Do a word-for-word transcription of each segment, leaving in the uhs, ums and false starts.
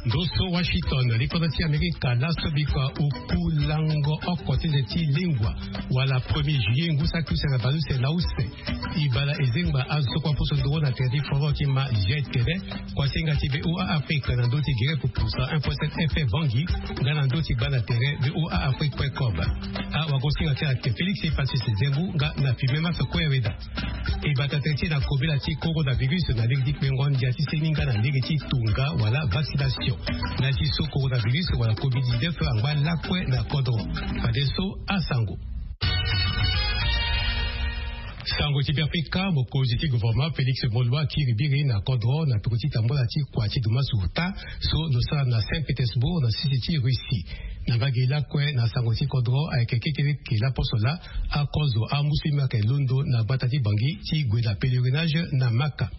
Ndo so Washington, likodro ti Amerika laso bikua oku lango oko ti nze ti lengua wala premier juillet ngu saki use na baleuse na use. E bala e zengba azo so kue aposo nduru na tere ti foro ti ma zia tere. Kuasinga ti VOA Afrique na ndö ti gere pupu cent un point sept FM Bangui nga na ndö ti gbanda tere VOA Afrique point com. Awagosinga ti ayeke Félix Francis Zembu nga na Filme Mafe Kue Weda. E bata tënë ti e na kobela ti coronavirus na lege ti kpengo ndia ti seni nga na lege ti tonga wala vaccination. Na ya ti so coronavirus wala covid dix-neuf angba lakue na kodro. Fadeso asango. Sango ti Beafrika, mokonzi ti gouvernement Félix Moloua akiri biri na kodro na peko ti tambola ti kua ti dumasu ota so lo sara na Saint Pétersbourg na sese ti Russie. Na mbage lakue na sango ti kodro ayeke kekereke laposo laa, akozo amusu ye mbi ayeke londo na gbata ti Bangui ti gue na pèlerinage na Maka.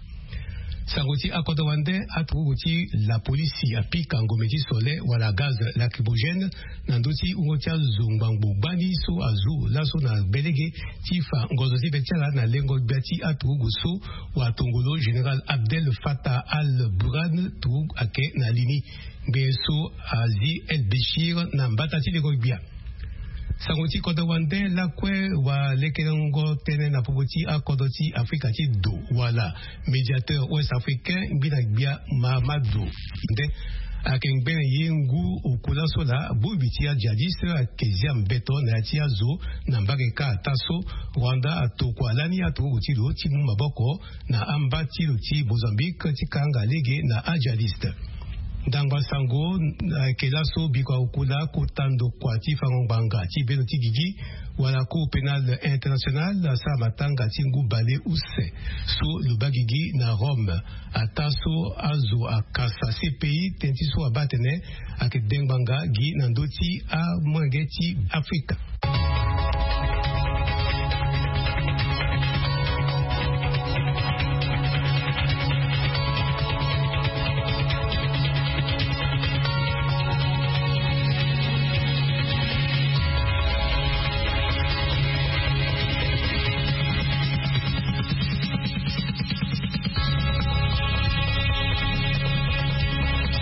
Sango ti akodro wande, aturugu ti lapolisi apika ngombe ti sole wala gaz lacrymogène na ndö ti wungo ti azo ngbangbo gbani so azu laso na gbelege ti fa ngonzo ti be ti ala na lengo gbia ti aturugu so watongolo général Abdel Fattah al-Burhan turugu ayeke na li ni. Ngbene so azi El Béchir na mbata ti lengo gbia. Sango ti kodro wande lakue, walekerengo tënë na popo ti akodro ti Afrika ti do wala médiateur ouest africain ngbina gbia Mahamadou nde ayeke ngbene ye ngu oku laso laa bongbi ti ajihadiste ayeke zia mbeto na ya ti azo na mbage kâ ata so Rwanda atokua lani aturugu ti lo ti mu maboko na amba ti lo ti Mozambique ti kanga lege na ajihadiste. Ndangba sango ayeke laso bikua oku laa kota ndokua ti fango ngbanga ti bendo ti gigi wala Cour pénale internationale asara matanga ti ngu bale use so lo baa gigi na Rome. Ata so azo akasa C P I tënë ti so abaa atene ayeke dengbanga gi na ndö ti amolenge ti Afrika.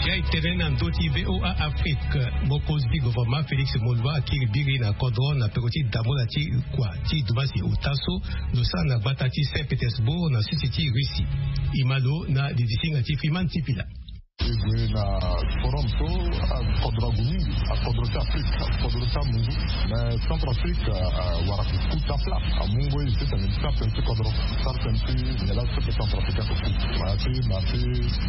Ya e tene na ndö ti VOA Afrique, mokonzi ti gouvernement Félix Moloua akiri biri na kodro na peko ti damola ti kua ti dumbasi ota so lo sara na gbata ti Saint Pétersbourg na sese ti Russie. E ma lo na lidi ti hinga ti Freeman Tipila. E gue na forum so akodro ague mingi, akodro ti Afrique, akodro ti amunzu. Mais Centrafrique awara kota plat, amu ngoi ti tene ti sara tënë ti kodro, sara tënë ti nyen laa so Centrafrique ake ku. Ma ya ti ma ti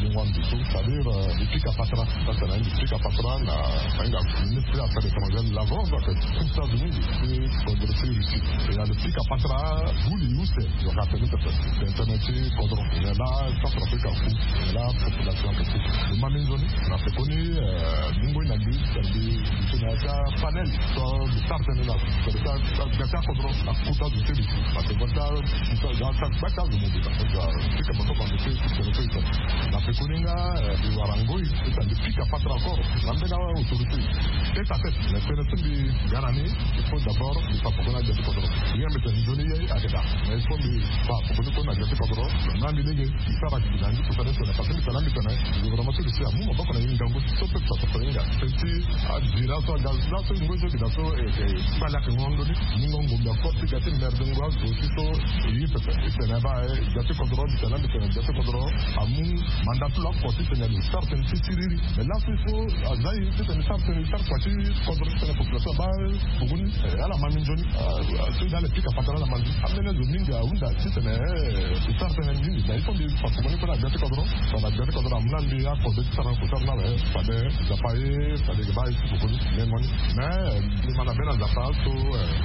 lingua ndo so, c'est-à-dire mbi pika patara, ça c'est mbi pika patara na, na hinga ministre affaires étrangères Lavrov ake ku ti azo mingi ti kodro ti Russie. E na lo pika patara buli use. Lo ka tene pepe tene ti kodro. Nyen laa Centrafrique aku, nyen laa population ake ku. Lo ma mingi nzoni na pekoni. Mu ngoi na mbi, mbi tene na ya ti apanel so mbi sara tënë na, tene ti gba ti akodro na kota zo ti mbi. Parce que bon, ti gba ti azo mbi, parce que pika patara bando ti tene ti tene na pekoni nga mbi wara ngoi ti tene mbi pika patara encore na mbeni autorité tête à tête. Mais tënë ti mbi ga na ni, il faut d'abord mbi fa pekoni agbia ti kodro. Nyen mbi tene nzoni ye ayeke daa. Mais il faut mbi fa pekoni kue na gbia ti kodro. Na mbi lege mbi sara gi na ngu kusana ti tene, parce que mbi tene, mbi tene gouvernement ti Russie amu maboko na ye ngangu so peuple centrafricain ahinga. Tënë ti adira so aga laso ngoi so gi na so e kpale ayeke ngongo ni. Mu ngoi ngombe encore ti ga ti merde ngoi azo ti so e ye pepe. E tene baa e gbia ti kodro, mbi tene, mbi tene gbia ti kodro amu mandat ti lo oko ti tene lo sara tënë ti siriri. Mais laso so aza ye ti tene sara tënë sara kua ti kodro ti tene population abaa pekoni. Ala ma mingi nzoni. So ala pika patara ala ma nzoni. Ambeni azo mingi ahunda ti tene e sara tënë mingi. Mais il faut mbi fa pekoni kue na gbia ti kodro. Tongana gbia ti kodro amu na mbi akode ti sara na kota ni ala, fade Nzapa aye, fade e ga baa e ti pekoni lengo ni. Mais mbi ma na bê na Nzapa so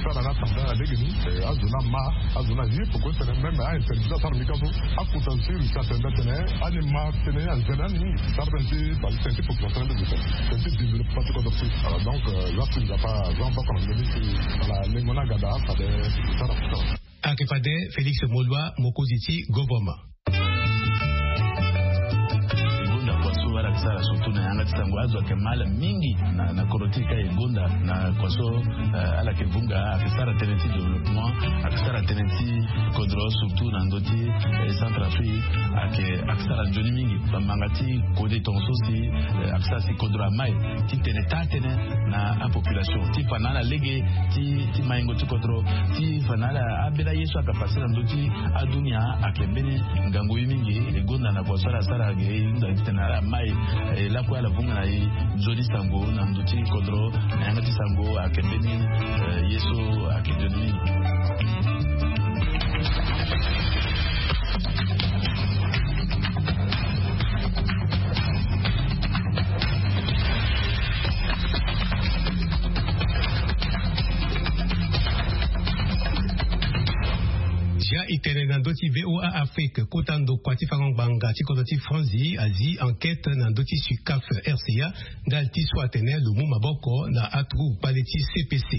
sara na atambula na legeni. Azo ni ama, azo ni aye pekoni tene même a-interdit ti asara mbi ka so. Akota ti Russie atene nda tene ani ma tënë anzere ani mingi. Sara tënë ti bale tënë ti population ni, tënë ti développement ti kodro ti. Voilà, donc la si Nzapa aza maboko na ndö ni si ala lengo ni aga daa fade sara. Ayeke fade Félix Moloua, mokonzi ti gouvernement. Surtout na yanga ti sango azo ayeke mal mingi na kodro ti e ka e gonda na kua so ala yeke vunga ayeke sara tënë ti développement, ayeke sara tënë ti kodro surtout na ndö ti Centrafrique. Ayeke sara nzoni mingi bamanga ti kode tonga so si ayeke sara si kodro amai ti tene taa tënë na apopulation ti fa na ala lege ti maingo ti kodro ti fa na ala abela ye so ayeke pase na ndö ti adunia. Ayeke mbeni ngangu ye mingi e gonda na kua so ala sara ge e hunda titene ala mai e lakue ala vunga na e nzoni sango na ndö ti kodro na yanga ti sango ayeke mbeni ye so ayeke nzoni mingi. Dia e tene na ndö ti VOA Afrique kota ndokua ti fango ngbanga ti kodro ti France azi enquête na ndö ti sucaf RCA. Ndali ti so atene lo mu maboko na aturugu kpale ti CPC.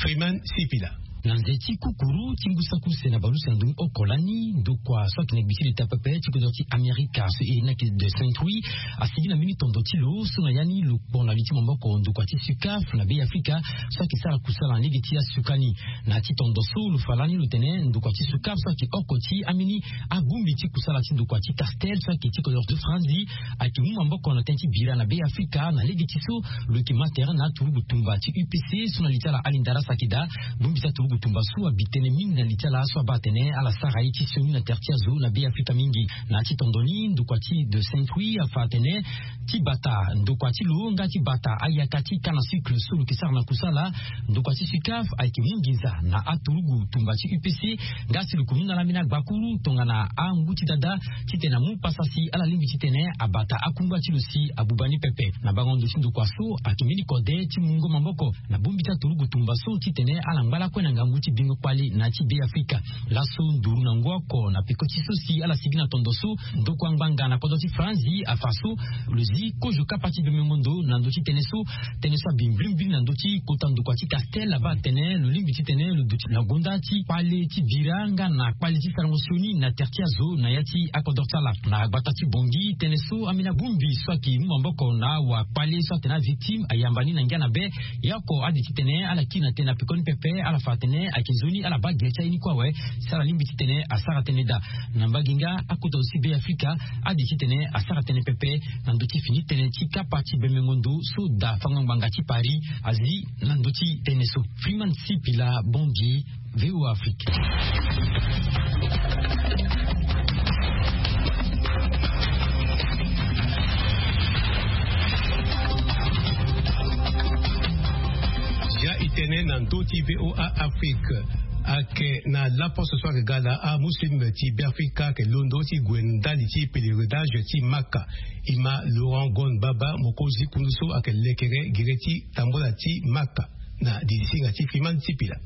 Freeman Sipila. Na nze ti kukuru ti ngu saki use na baleuse na ndoni oko lani ndokua so ayeke na gbi ti leta pepe ti kodro ti Amerika so e iri ni ayeke de Saint Louis asigi na mbeni tondo ti lo so na ya ni lo kpo na li ti maboko ndokua ti sucaf na be Afrika so ayeke sara kusala na lege ti asuka ni. Na ya ti tondo so lo fa lani lo tene ndokua ti sucaf so ayeke oko ti ambeni abongbi ti kusala ti ndokua ti Castel so ayeke ti kodro ti France ayeke mu maboko na tënë ti bira na be Afrika na lege ti so lo yeke ma tere na aturugu tumba ti UPC so na li ti ala ali ndarasa ayeke daa. Bongbi ti aturugu tumba so abi tënë mingi na li ti ala so abaa atene ala sara ye ti sioni na tere ti azo na be Afrika mingi. Na ya ti tondo ni ndokua ti de Saint Louis afa atene ti bata ndokua ti lo nga ti bata ayaka ti canne à sucre so lo yeke sara na kusala ndokua ti sucaf ayeke mu nginza na aturugu tumba ti UPC. Nga si lo yeke mu na ala mbeni agbakuru tongana angu ti dada titene amu pasa si ala lingbi titene abata akungba ti lo si abuba ni pepe. Na bango ndo ti ndokua so ayeke mbeni kode ti mungo maboko na bongbi ti aturugu tumba so titene ala ngba lakue na ngangu ti bingo kpale na ya ti be Afrika. Laso nduru na ngu oko na peko ti so si ala sigi na tondo so ndokua ngbanga na kodro ti France afa so lo zi kozo kapa ti bemengo ndo na ndö ti tënë so. Tënë so abi mbilimbili na ndö ti kota ndokua ti Castel abaa atene lo lingbi titene lo duti na gonda ti kpale ti bira nga na kpale ti sarango sioni na tere ti azo na ya ti akodro ti ala. Na gbata ti Bangui tënë so ambeni abongbi so ayeke mu maboko na awakpale so atene avictime ayamba ni na ngia na be. Ya oko ade titene ala kiri na tënë na pekoni pepe ala fa atene ayeke nzoni ala baa gere ti aye ni kue awe si ala lingbi titene asara tënë daa. Na mbage nga akota zo ti be Afrika ade titene asara tënë pepe na ndö ti fini tënë ti kapa ti bemengo ndo so daa fango ngbanga ti Paris azi na ndö ti tënë so. Freeman Sipila, Bangui, VOA Afrique. Ya e tene na ndö ti VOA Afrique. Ayeke na laposte so ayeke ga na amuslim ti Beafrika ayeke londo ti gue ndali ti pèlerinage ti Maka. E ma Laurent Gon Baba, mokonzi kundu so ayeke lekere gere ti tambola ti Maka na didisinga ti Fiman Sipila.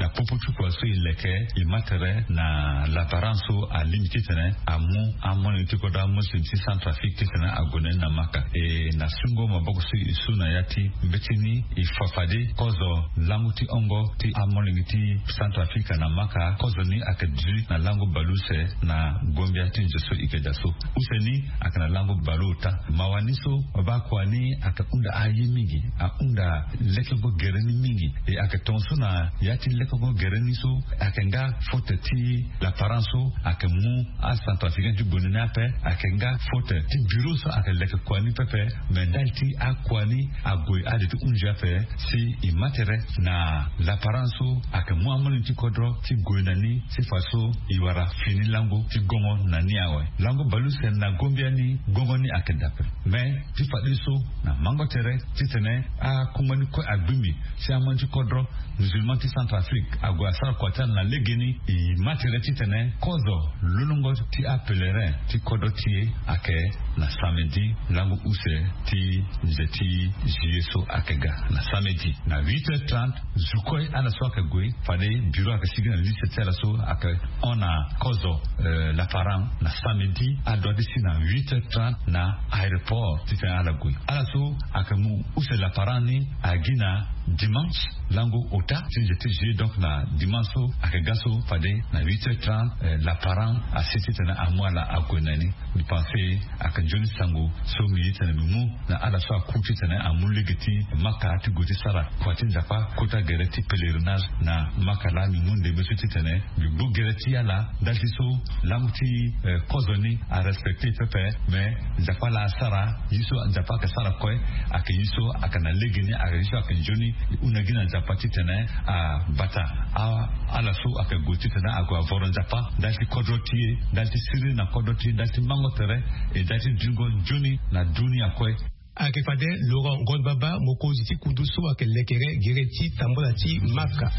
Na popo ti kua so e leke e ma tere na laparan so alingbi titene amu amolenge ti kodro amuslim ti Centrafrique titene ague na ni na Maka. E na sungo maboko so e su na ya ti mbeti ni e fa fade kozo lango ti hongo ti amolenge ti Centrafrique na Maka. Kozo ni ayeke duti na lango baleuse na gombia ti nze so e yeke daa so. Use ni ayeke na lango baleota. Mawa ni so babaa kua ni ayeke hunda aye mingi, ahunda lekengo gere ni mingi. E ayeke tongaso na ya ti lekengo gere ni so ayeke nga faute ti laparan so ayeke mu aCentrafricain ti gue na ni ape. Ayeke nga faute ti bureau so ayeke leke kua ni pepe. Me ndali ti akua ni ague ade ti hunzi ape si e ma tere na laparan so ayeke mu amolenge ti kodro ti gue na ni ti fa so e wara fini lango ti gongo na ni awe. Lango baleuse na gombia ni gongo ni ayeke daa ape. Me ti fadeso na mango tere titene akungba ni kue agbingbi si amolenge ti kodro musulman ti Centrafrique ague asara kua ti ala na legeni. E ma tere titene kozo lolongo ti apèlerin ti kodro ti e ayeke na samedi lango use ti nze ti juillet so ayeke ga. Na samedi na huit heures trente zo kue ala so ayeke gue fade bureau ayeke sigi na liste ti ala so ayeke hon na kozo laparan na samedi adua ti si na huit heures trente na aéroport titene ala gue. Ala so ayeke mu use laparan ni agi na Dimanche lango ota ti nze ti juillet, donc na dimanche so ayeke ga so fade na huit heures trente, laparent asi titene amu ala ague na ni. Mbi pense ayeke nzoni sango so mbi ye titene mbi mu na ala so aku titene amu lege ti maka ti gue ti sara kua ti nzapa kota gere ti pèlerinage na maka laa mbi mu ndembe so titene mbi gbu gere ti ala ndali ti so lango ti kozo ni arespecte pepe. Mais nzapa laa asara ye so nzapa ayeke sara kue ayeke ye so ayeke na lege ni ayeke ye so ayeke nzoni. E hunda gi na nzapa titene abata ala so ayeke gue titene ague avoro nzapa ndali ti kodro ti e, ndali ti siriri na kodro ti e, ndali ti mango tere e ndali ti dingo nzoni na dunia kue. Ayeke fade Laurent Ngonbaba, mokonzi ti kundu so ayeke lekere gere ti tambula ti maka.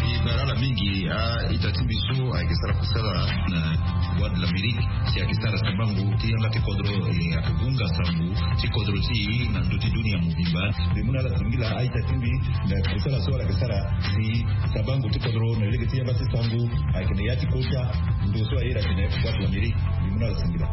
E bara ala mingi a-ita ti mbi so ayeke sara kusala na Voix de l'Amérique si ayeke sara sabango ti yanga ti kodro e ayeke hunga sango ti kodro ti e na ndö ti dunia mobimba. Mbi mu na ala singila a-ita ti mbi na kusala so ala yeke sara si sabango ti kodro na lege ti yanga ti sango ayeke na ya ti kota ndo so aye atene Voix de l'Amérique. Mbi mu na ala singila.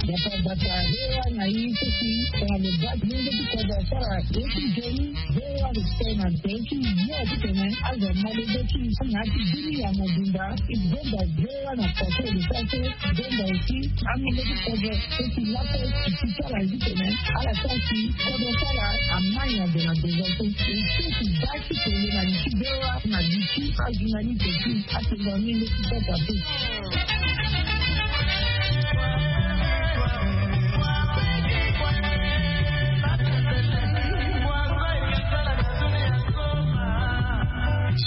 Bata bata hewa na i sisi tongana lo bati lenge ti kodro asara ye ti joni. Hewa lo tene na tene ti yo titene azo ma lege ti na ti dunia mobimba. I bomba hewa na paso lo sara so bomba aussi. Amolenge ti kodro so ti lakue ti ti sara ye titene ala sara si kodro sara amai na de na de so. E so ti baa ti tene na li ti hewa na li ti ajournaliste ti atengo amolenge ti kodro ape.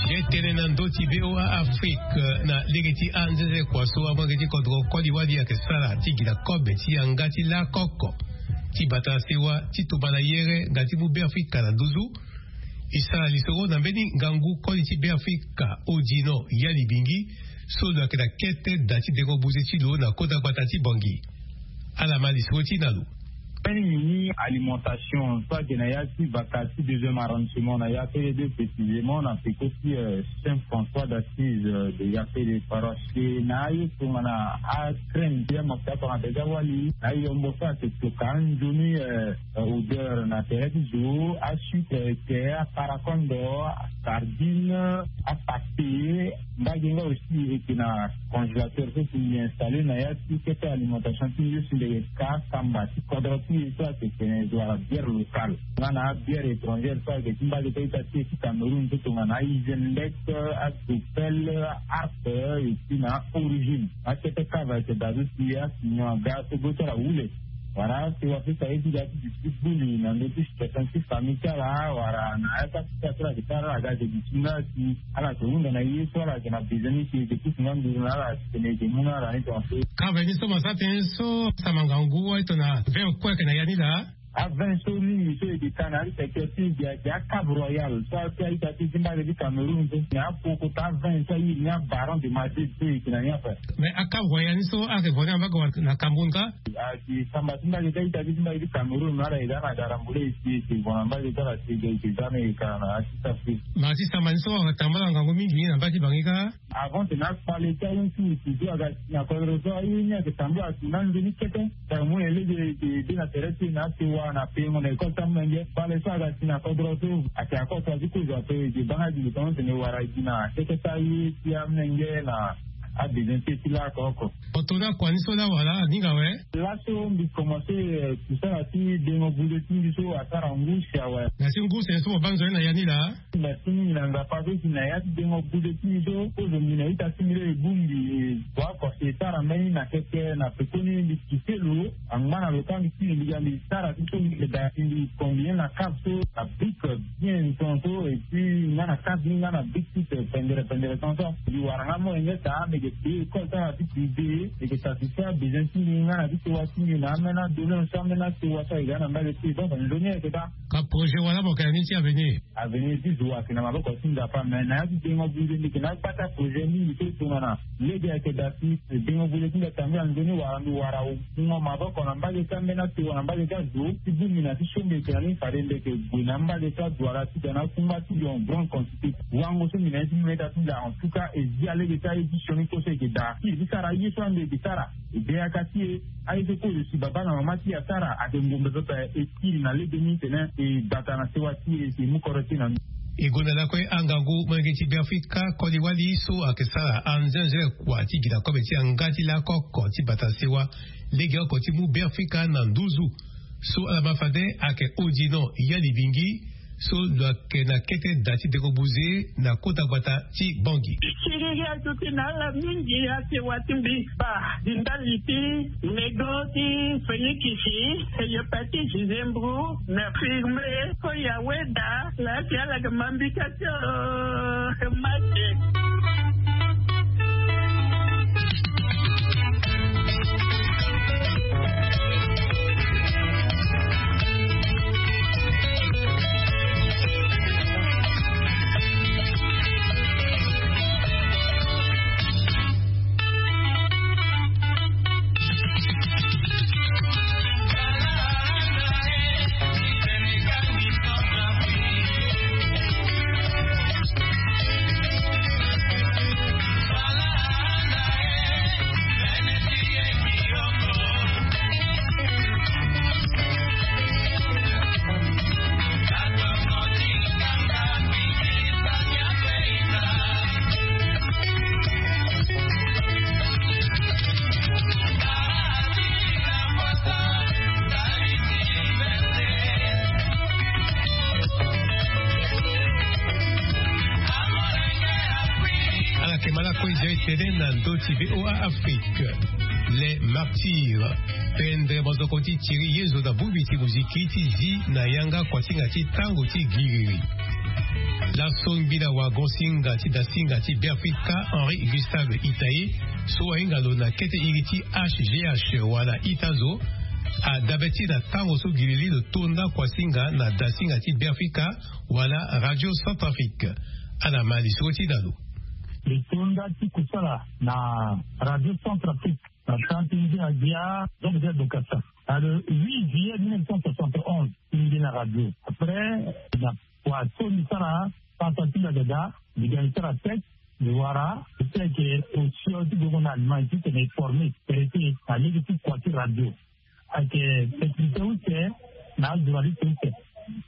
Ye tene na ndö ti V O A Afrique na lege ti anzenze kua so amolenge ti kodro koli wali ayeke sara ti gi na kobe ti yanga ti lakoko ti bata na sewa ti tumba na yere nga ti mu Beafrika na nduzu. E sara lisoro na mbeni ngangu koli ti Beafrika Odino Yali Bingi so lo yeke na kete da ti dengo buze ti lo na kota gbata ti Bangui. Ala ma lisoro ti na lo. Mbeni mini alimentation so ayeke na ya ti baka ti deuxième arrondissement na Yafele deux précisément na peko ti Saint François d'Assise de Yafele paroisse. E na aye tongana acrème ti amafuta tongana déjà wali na ayombo so ayeke toka anzoni odeur na tere ti zo asucre eke aparakondo asardine apate. Mbage nga aussi eke na congélateur so si mbi installé na ya ti kete alimentation ti nzoni si mbi yeke ka kamba ti kodro ti e so ayeke tene zo wala bière locale nga na abière étrangère so ayeke ti mbage ti a-ita ti e ti Cameroun so tongana ahygiène lek adopel arpe. Et puis na origine akete kava ayeke daa so si asinyon aga so gbe ti ala wule. Wala si wa fesa ye ti ga ti duti buli na ndö ti situation ti famille ti ala wala na ya ti afika so ala yeke ti ala aga ayeke duti nga si ala yeke hunda na ye so ala yeke na besoin ni si e yeke ti si nga nduru na ala titene e yeke mu na ala ni tongaso. Kave ni so mo sara tënë so sama ngangu wa e tongana vingt kue ayeke na ya ni laa. Avin so mingi so eke ka na ali secteur ti ege ake acab royal so ake aita ti zimbage ti cameroun so na apoko ta avin so aye ni abaron de madrid so eke na ni ape. Mais acab royal ni so ake vo ni ambage wala na cameroun ka? Ake samba ti mbage ti aita ti zimbage ti cameroun ala eke za na darambule eke eke vo na mbage ti ala si eke za na eke ka na asisa fi. Mais asisa mani so atambala ngangu mingi na mbage ti bangi ka. Avant tena kpale ti aye ti misi so aga si na kodro so aye ni ayeke tambula si na nzoni kete. Tara mu na ye lege eke de na tere ti e na asewa na pengo na école ti amolenge kpale so aga si na kodro so. Ayeke akota ti kozo ape eke banga gi lo tongaso tene wara gi na kete ti aye ti amolenge na abezoin ti e ti lako oko. Oto na kua ni so laa wala aninga awe. Laso mbi komanse kusala ti dengo buze ti mbi so asara ngu si awe. Na si ngu sene so mo baa nzoni na ya ni laa. Merci mingi na nzapa so si na ya ti dengo buze ti mbi so kozo mbi na ita ti mbi lo e bongbi. Wa kosi e tara mbeni na keke na pekoni mbi kite lo angba na lo ka mbi ti mbi ga mbi tara ti so mbi ke da si mbi combien na cave so na bik bien ton so et puis nga na cave ni nga na bik ti pendere pendere ton so mbi wara nga mo yenge sa mbi ke pei école tara ti privé mbi ke satisfait abesoin ti mbi nga na ti sewa ti mbi na amena domaine so amena sewa so ayeke ga na mbage ti e donc nzoni ayeke daa. Ka projet wala mo yeke na ni ti avenir? Avenir ti zo ayeke na maboko ti nzapa me na ya ti dengo buze mbi yeke na agbata projet mingi so e tongana lege ayeke daa si dengo buze ti mbi atambula nzoni wala mbi wara wungo maboko na mbage ti ambeni asewa na mbage ti azo ti bongbi na ti so mbi yeke na ni fade mbi yeke gue na mbage ti aduala ti ga na akungba ti lion grande quantité. Wango so mbi na ye ti mbi meta ti mbi en tout cas e zi alege ti aye ti sioni koso e yeke daa si e ti sara ye so ande e yeke sara e de yaka ti e. Aye so kozo si baba na mama ti e asara ayeke ngombe pepe e kiri na lege ni tene e gbata na sewa ti e si e mu kodro ti e na ni. E gonda lakue angangu molenge ti beafrika koli-wali so ayeke sara anzenze kua ti gi na kobe ti yanga ti lako oko ti bata sewa lege oko ti mu beafrika na nduzu. So ala ma fade ayeke odino ya libingi so lo yeke na kete da ti dengo buze na kota gbata ti bangi. Siriri azo ti na ala mingi asewa ti mbi ba di ndali ti nego ti fenikisi eyo pati zizembru na firme. Oyo aweda laa si ala yeke ma mbika ti o mate. Ala yeke ma lakue zia e tene na ndö ti voa afrique. Les martyrs. Pendre mozoko ti tiri yezo na bongbi ti moziki ti zi na yanga kuasinga ti tango ti giriri. Laso ngbila wagon singa ti dasinga ti beafrika henri gustave itaye so ahinga lo na kete iri ti hgh wala ita zo adabe ti na tango so giriri lo tonda kuasinga na dasinga ti beafrika wala radio centrafrique. Ala ma lisoro ti na lo. Li tonda ti kusala na radio centrafrique na tan ti ndia gbia donc dia dokasa na le huit juillet mille neuf cent soixante onze. Ti ndia na radio après na kua so ni sara pasa ti dagada. Mbi ga ni sara test mbi wara. Ti ayeke osio ti gongo na allemagne ti tene e forme traité na lege ti kua ti radio. Ayeke spécialité use na ajournaliste use.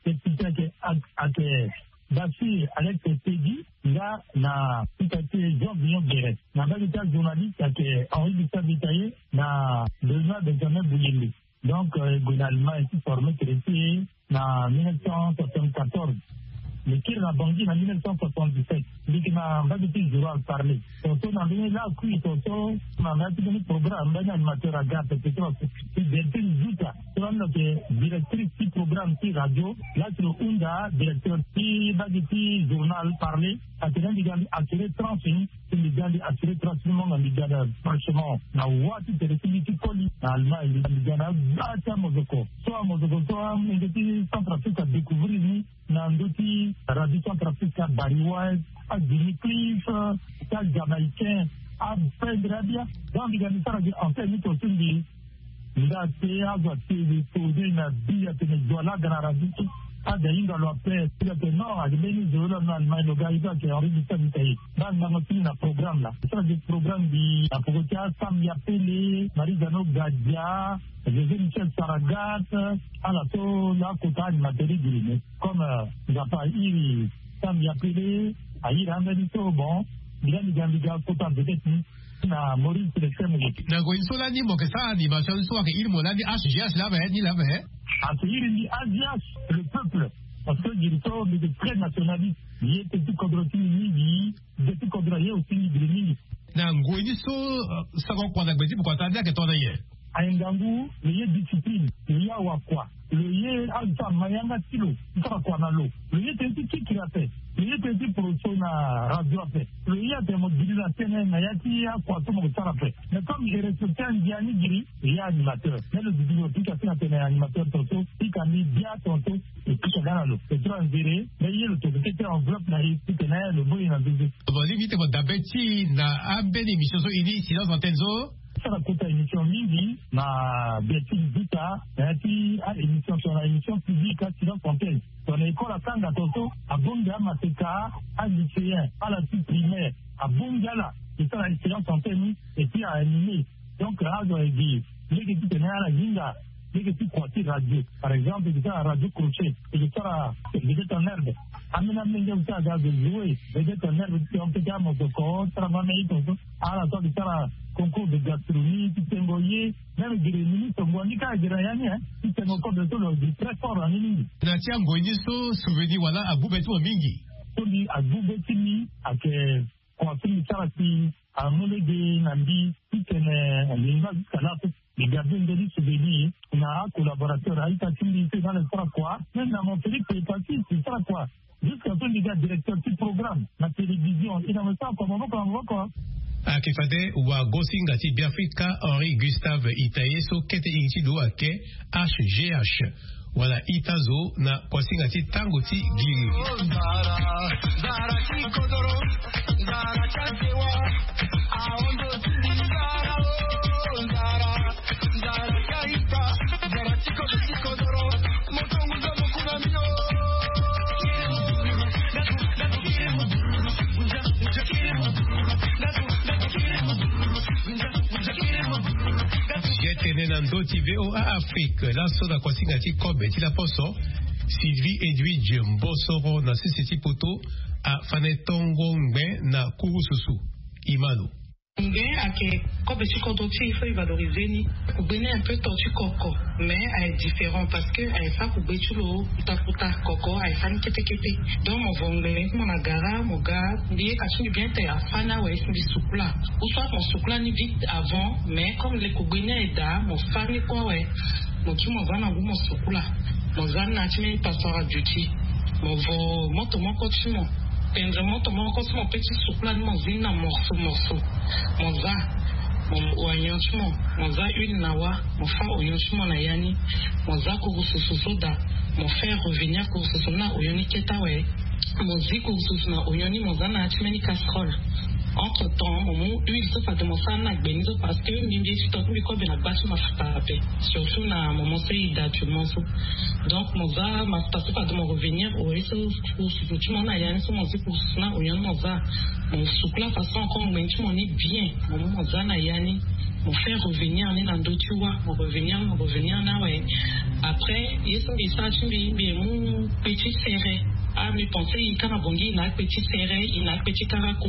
Spécialité ayeke ayeke basir alex tedi nga na ita ti jean vignon guerret. Na mbage ti ajournaliste ayeke henri gustave itaye na benoit benjamin boulembe. Donc e gue na allemagne ti forme traité na mille neuf cent soixante-quatorze. Mbi kiri na bangi na mille neuf cent soixante-dix-sept. Mbi yeke na mbage ti journal parler tongaso na ndenge lakui tongaso. Na ndali ti mbeni programme mbeni animateur aga pepe so na so. Ti delphine zuta so lani lo yeke directrice ti programme ti radio. Laa ti lo hunda directeur ti mbage ti journal parler. Atene mbi ga mbi assurer tranche ni. Si mbi ga mbi assurer tranche ni mo nga mbi ga daa franchement na wa ti tere ti mbi ti koli na Allemagne. Mbi ga na agba ti amozoko so amozoko so amenge ti Centrafrique adécouvrir ni na ndö ti radio Centrafrique abari wai adimi cliff ti ajamaïcain. Apendre abia. Donc mbi ga mbi sara gi antenne ni to si mbi nda te azo atene to de na bi atene zo alaga na radio so. Aga hinga lo ape ti ga tene non ake mbeni zo lo na Allemagne lo ga ita ake Henri Gustave ita ye. Ba ngango ti ni na programme la sara gi programme gi na poko ti asam ya pele Marie Jeannot Gadia, José Michel Saragat. Ala so la kota animateur giri me comme Nzapa airi Sam Yapele airi ambeni so bon. Mbi lani ga mbi ga kota vedette ni na Maurice Lefebvre. Na ngoi ni so lani mo yeke sara animation ni so ayeke iri mo lani H G H laa ape ni laa ape. Ayeke iri mbi H G H, le peuple. Parce que giri so mbi yeke très nationaliste. Ye teti kodro ti mbi mingi. Gbe ti kodro aye aussi mbi giri mingi. Na ngoi ni so sango kua na gbe ti bokua ti ande ayeke tongana nyen? Aye ngangu lo ye discipline, lo ye awakua, lo ye azo ti ama yanga ti lo ti sara kua na lo. Lo ye tënë ti kikiri ape. Lo ye tënë ti poroso na radio ape. Lo ye atene mo diri na tënë na ya ti akua so mo ke sara ape. Mais comme e respecte andia ni giri, lo ye animateur. Mais lo duti lo pika si na tene animateur tongaso pika mbi bia tongaso. E pika nga na lo e tura nzere. Mais ye lo toko tete enveloppe na e ti tene lo mbo ye na nzeze. Bon, lingbi ti mo dabe ti na ambeni émission so e ni silence antenne so. Sara kota émission mingi na Bertine Vita na ya ti a émission so na émission publique a silence antenne. So na école akanga tongaso abongbi amaseka, alycéen, ala ti primaire abongbi ala e sara silence antenne ni. Et puis a animé. Donc azo aye gi lege ti tene ala hinga lege ti kua ti radio. Par exemple e ke sara radio crochet, e ke sara vedette en herbe. Ambeni amolenge azo ti aga azo jouer vedette en herbe ti tene peut ti amosoko ti sara ngo ameni tongaso. Ala so ake sara concours de gastronomie ti tengo ye. Même gere ministre ngonga ni kâ gere na ya ni. Ti tengo kobe so lo gi très fort na ni mingi. Na ti angoi ni so souvenir wala agbu be ti mo mingi? So mbi agbu be ti mbi ayeke kua so mbi sara si amu lege na mbi ti tene lingba jusqu'à là so. Mbi ga be nde ti souvenir na acollaborateur a-ita ti mbi so e ga na sara kua. Même na mon Félix Epassi e sara kua. Jusqu'à so mbi ga directeur ti programme na télévision e na mo sara kua maboko na maboko. Ayeke fade wagosinga ti Beafrika Henri Gustave Itaye so kete iri ti lo ayeke H G H. Wala ita zo na kuasinga ti tango ti giri. Ye tene na ndö ti V O A Afrique laso na kuasinga ti kobe ti laposo. Sylvie Edwidge Mbosoro na sese ti poto afane tongo ngbe na kurususu. Imano. Ngbe ayeke kobe ti kodro ti e, il faut e valoriser ni. Kugbe ni un peu to ti koko, mais aye différent parce que aye sara kugbe ti lo kuta kuta. Koko aye sara ni kete kete. Donc mo vo ngbe ni ti mo na gara mo ga. Mbi ye ka ti mbi bien te afâ ni awe si mbi sukula. Ou soit mo sukula ni vite avant, mais comme le kugbe ni aye daa mo fâ ni kue awe. Mo kiri mo za na ngu mo sukula. Mo za na ya ti mbeni passeport à duty. Mo vo moto moko ti mo. Tendre moto moko ti mo pe ti sukula ni mo zi ni na morceau morceau. Mo za. Mo oignon ti mo. Mo za huile na wâ. Mo fâ oignon ti mo na ya ni. Mo za kurususu so daa. Mo faire revenir kurususu ni na oignon ni kete awe. Mo zi kurususu na oignon ni mo za na ya ti mbeni casserole. Entre temps mo mu huile so fade mo sara ni na gbe ni so parce que mbi mbi ye ti to ti mbi kobe na gba ti mafuta ape. Surtout na moment so e daa actuellement so. Donc mo za mafuta so fade mo revenir oye so kurususu ti mo na ya ni so mo zi kurususu na oignon ni mo za. Mo sukula façon encore ngbe ni ti mo ni bien. Mo mu mo za na ya ni. Mo fait revenir ni na ndö ti wâ. Mo revenir ni mo revenir ni awe. Après ye so mbi sara ti mbi mbi ye mu petit serré. Ah, mi pense i ka na bongi i na akpe ti sere, i na akpe ti karako.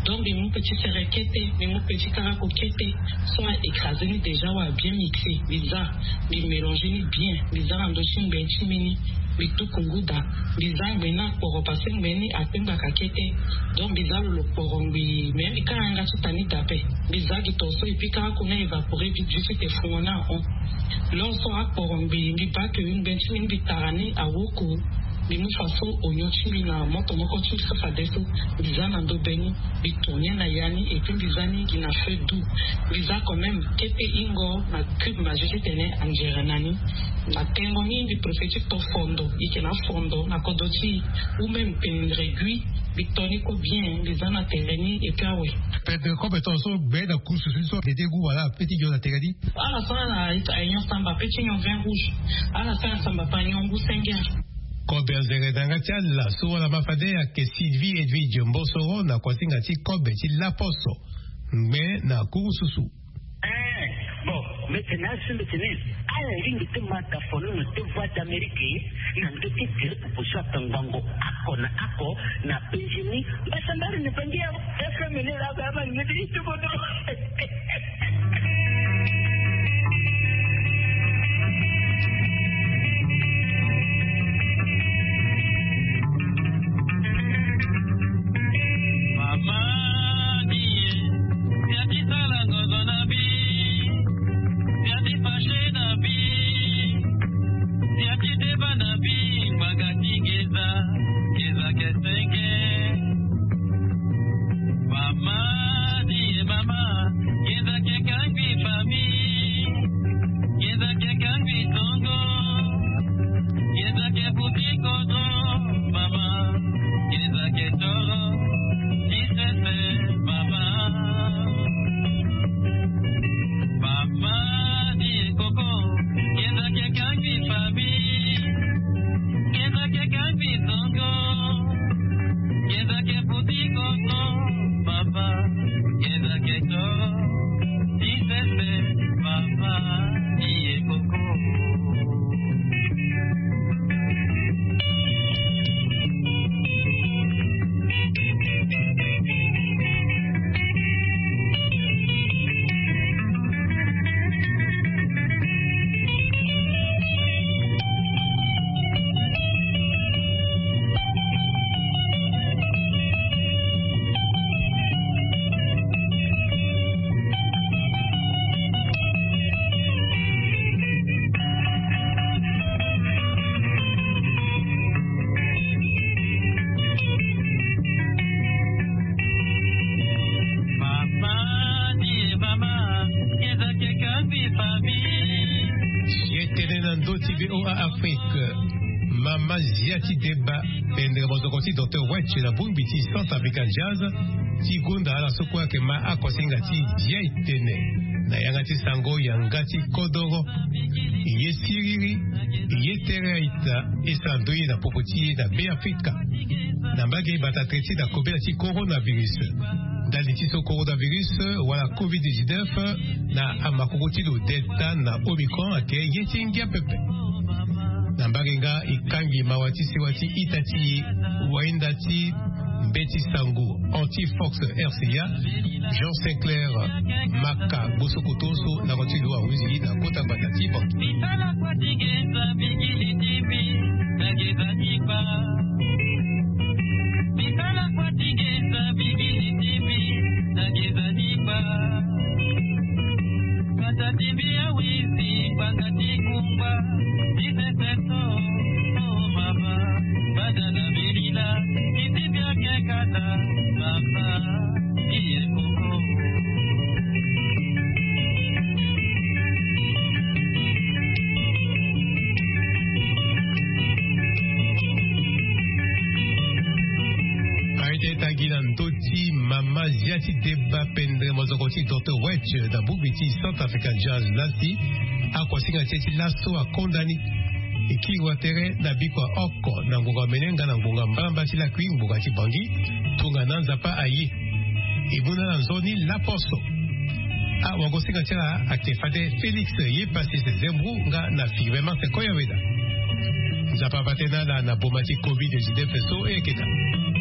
Donc mi mu kpe ti sere kete, mi mu kpe ti karako kete. So a écrasé ni déjà, wa bien mixé. Biza, bi mélangé ni bien. Biza na ndo ti ngbe ti mini. Bi tuku nguda. Biza ngbe na kporo parce que ngbe ni akpe ngbaka kete. Donc biza lolo kporo ngbe, mais mi ka yanga ti tani dape. Biza gi to so et puis karako na évaporé vite vite te fungo na on. Lo so akporo ngbe, mbi baa ke ngbe ti mbi, mbi tara ni awoko. Mbi mu fa so onyon ti mbi na moto moko ti mbi so fadeso. Mbi za na ndo be ni, mbi tourner na ya ni, et puis mbi za ni gi na feu doux. Mbi za quand même kete ingo na cube magie ti tene angere na ni. Na tengo ni mbi préfère ti to fondo, i yeke na fondo na kodro ti i, ou même pendre gui. Mbi to ni kue bien, mbi za na tere ni et puis awe. Pendre kobe tongaso gbe na kurusu so dédé gu wala ape ti nyon na tere ni. Ala so ala ayeke nyon samba pe ti nyon vin rouge. Ala so ala samba pe anyon ngu sengere. Kobe anzere na yanga ti ala so wala ma fade ayeke Sylvie Edwidge Mbossoro na kuasinga ti kobe ti laposo. Ngbe na kurususu. Eh, bon, mbi tene asu mbi tene ala lingbi ti ma da fono na te Voix d'Amérique na ndö ti tere popo so atangbango oko na oko na penzi ni. Mbasambari na bangi ya F M ni la ba ma ngeti ti tuko do. Mama ni ye, ya ti sala ngozo na bi, ya ti fache na bi, ya ti deba na bi, ngbanga ti ngeza, ngeza ke senge. Mama ni ye mama, ngeza ke kangbi famille, ngeza ke kangbi tongo, ngeza ke buti kozo, mama, ngeza ke toro, ti sese, mama. Mama ni ye koko, ngeza ke kangbi famille, ngeza ke kangbi tongo. Ngeza ke futi koko, papa. Ngeza ke to, ti sese, papa. Iye koko. Mama ni e mama, ngeza ke kangbi famille. Ye tene na ndö ti V O A Afrique. Mama zia ti deba, pendere mozoko ti Docteur Wetch na bongbi ti Centre African Jazz, ti gonda ala so kue ayeke ma akosinga ti zia e tene. Na yanga ti sango yanga ti kodoro. Ye siriri, ye tere aita, e sara ndoye na popo ti e na Be Afrika. Na mbage bata tere ti na kobela ti coronavirus. Ndali ti so coronavirus wala covid dix-neuf na amakoko ti lo Delta na Omicron ayeke ye ti ngia pepe. Na mbage nga e kangbi mawa ti sewa ti ita ti e, wainda ti mbeti sango anti-Fox R C A, Jean Sinclair Maka, gbosoko tonso na koti lo ahuzi na kota gbata ti banki. Mitala kua ti ngenza bigili ti mbi na ngenza ti kpa. Mitala kua ti ngenza bigili ti mbi na ngenza ti kpa. Kata ti mbi awizi ngbanga ti kungba ti sese so. Oh mama, bada na milila, iti mbi ake kata, mama. Aye ti tangi na ndö ti mama zia ti deba pendere mozoko ti Docteur Wetch na bongbi ti Centre African Jazz lasi. Akosinga ti e ti laso akonda ni. E kiri wa tere na bikua oko na ngonga mene nga na ngonga mbalambala ti lakui ngonga ti Bangui. Tongana Nzapa aye. E mu na ala nzoni laposo. Ah, wagosinga ti ala ayeke fade Félix Yepassis Zembro nga na Firmin Martin Koyaweda. Nzapa ava tënë ala na boma ti covid dix-neuf so e yeke daa.